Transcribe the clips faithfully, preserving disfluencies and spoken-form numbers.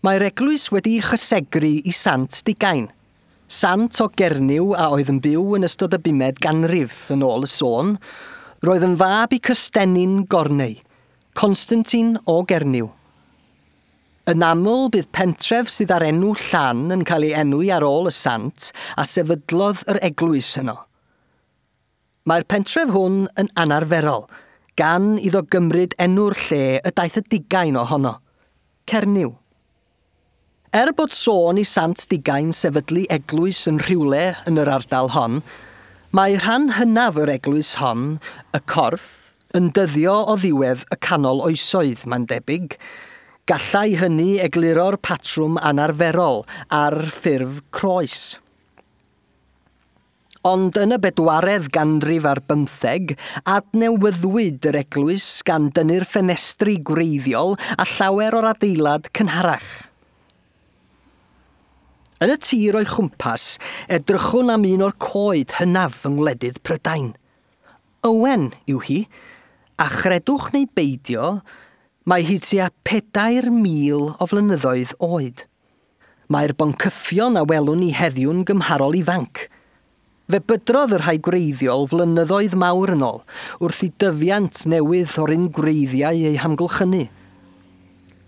Mae'r eglwys wedi'i chysegru i Sant Digain. Sant o Gernyw a oedd yn byw yn ystod y bumed ganrif yn ôl y sôn, roedd yn fab i Cystennin Gorneu, Constantine o Gernyw. Yn aml bydd pentref sydd ar enw Llan yn cael ei enwi ar ôl y sant a sefydlodd yr eglwys yno. Mae'r pentref hwn yn anarferol, gan iddo gymryd enw'r lle y daeth y digain ohono, Cernyw. Er bod sôn i Sant Digain sefydlu eglwys yn rhywle yn yr ardal hon, mae rhan hynaf yr eglwys hon, y corff, yn dyddio o ddiwedd y canol oesoedd, mae'n debyg. Gallai hynny egluro'r patrwm anarferol ar ffurf croes. Ond yn y bedwaredd ganrif ar bymtheg, adnewyddwyd yr eglwys gan dynnu'r ffenestri gwreiddiol a llawer o'r adeilad cynharach. Yn y tir o'i chwmpas, edrychwn am un o'r coed hynaf yng ngwledydd Prydain. Ywen yw hi, a chredwch neu beidio, mae hi tua pedair mil o flynyddoedd oed. Mae'r boncyffion a welwn ni heddiw'n gymharol ifanc. Fe bydrodd y rhai gwreiddiol flynyddoedd mawr yn ôl, wrth i dyfiant newydd o'r un gwreiddiau eu hamgylchynu.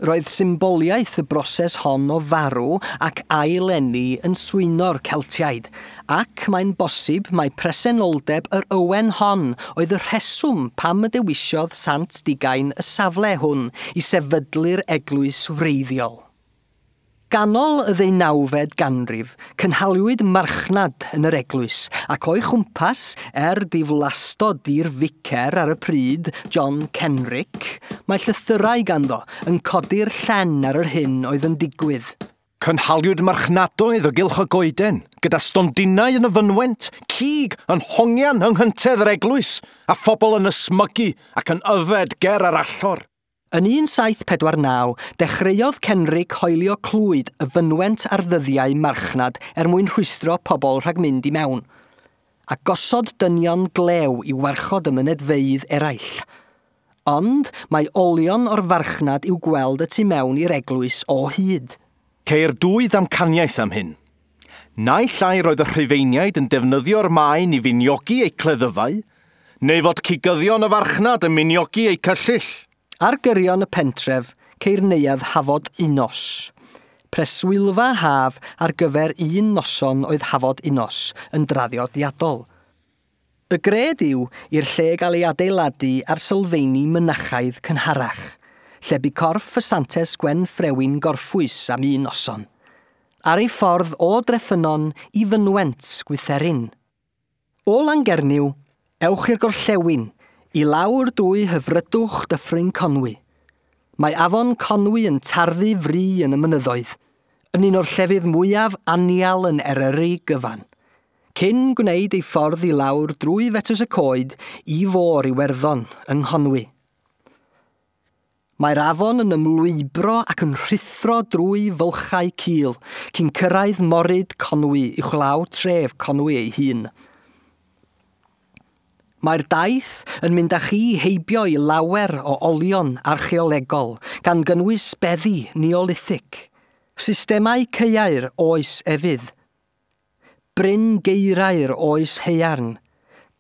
Roedd symboliaeth y broses hon o farw ac ail-eni yn swyno'r Celtiaid, ac mae'n bosib mai presenoldeb yr ywen hon oedd y rheswm pam y dewisiodd Sant Digain y safle hwn i sefydlu'r eglwys wreiddiol. Ganol y ddeunawfed ganrif, cynhaliwyd marchnad yn yr eglwys, ac o'i chwmpas, er diflastod i'r ficer ar y pryd, John Kenrick, mae llythyrau ganddo yn codi'r llen ar yr hyn oedd yn digwydd. Cynhaliwyd marchnadoedd o gylch y goeden, gyda stondinau yn y fynwent, cig yn hongian yng nghyntedd yr eglwys, a phobl yn ysmygu ac yn yfed ger yr allor. Yn un saith pedwar naw, dechreuodd Kenrick hoelio clwyd y fynwent ar ddyddiau marchnad er mwyn rhwystro pobl rhag mynd i mewn, a gosod dynion glew i warchod y mynedfeydd eraill. Ond mae olion o'r farchnad i'w gweld y tu mewn i'r eglwys o hyd. Ceir dwy ddamcaniaeth am hyn. Naill ai roedd y Rhufeiniaid yn defnyddio'r maen i finiogi eu cleddyfau, neu fod cigyddion y farchnad yn miniogi eu cyllyll. Ar gyrion y pentref, ceir neuadd Hafod Unos. Preswylfa haf ar gyfer un noson oedd Hafod Unos yn draddodiadol. Y gred yw i'r lle gael ei adeiladu ar sylfeini mynachaidd cynharach, lle bu corff y Santes Gwen Ffrewin gorffwys am un noson, ar ei ffordd o Dreffynnon i fynwent Gwytherin. O Langernyw, ewch i'r gorllewin, i lawr drwy hyfrydwch Dyffryn Conwy. Mae afon Conwy yn tarddu fri yn y mynyddoedd, yn un o'r llefydd mwyaf anial yn Eryri gyfan, cyn gwneud ei ffordd i lawr drwy Fetws y Coed i fôr Iwerddon yng Nghonwy. Mae'r afon yn ymlwybro ac yn rhuthro drwy fylchau cul, cyn cyrraedd moryd Conwy uwchlaw tref Conwy ei hun. Mae'r daith yn mynd â chi heibio i lawer o olion archeolegol, gan gynnwys beddi Neolithic, systemau caeau'r oes efydd, bryn geirau'r oes haearn,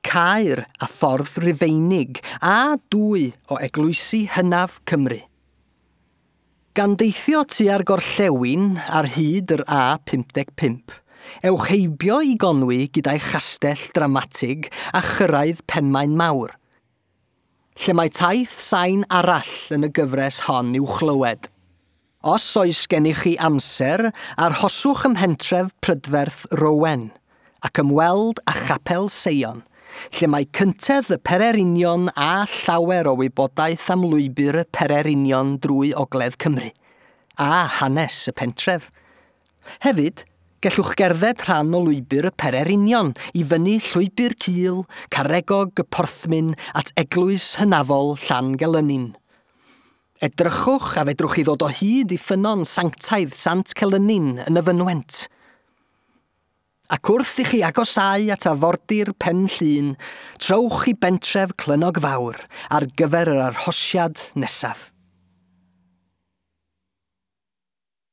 caer a ffordd Rufeinig a dwy o eglwysi hynaf Cymru. Gan deithio tua'r gorllewin ar hyd yr A pump deg pump, ewch heibio i Gonwy gyda'i chastell dramatig a chyrraedd Penmaen Mawr, lle mae taith sain arall yn y gyfres hon i'w chlywed. Os oes gennych chi amser, arhoswch ym mhentref prydferth Rowen ac ymweld â Chapel Seion, lle mae cyntedd y Pererinion a llawer o wybodaeth am lwybr y Pererinion drwy Ogledd Cymru, a hanes y pentref. Hefyd, gellwch gerdded rhan o lwybr y Pererinion i fyny llwybr cul, caregog y Porthmyn at eglwys hynafol Llangelynnin. Edrychwch a fedrwch chi ddod o hyd i ffynnon sanctaidd Sant Celynnin yn y fynwent. Ac wrth i chi agosáu at afordir Pen Llŷn, trowch i bentref Clynnog Fawr ar gyfer yr arhosiad nesaf.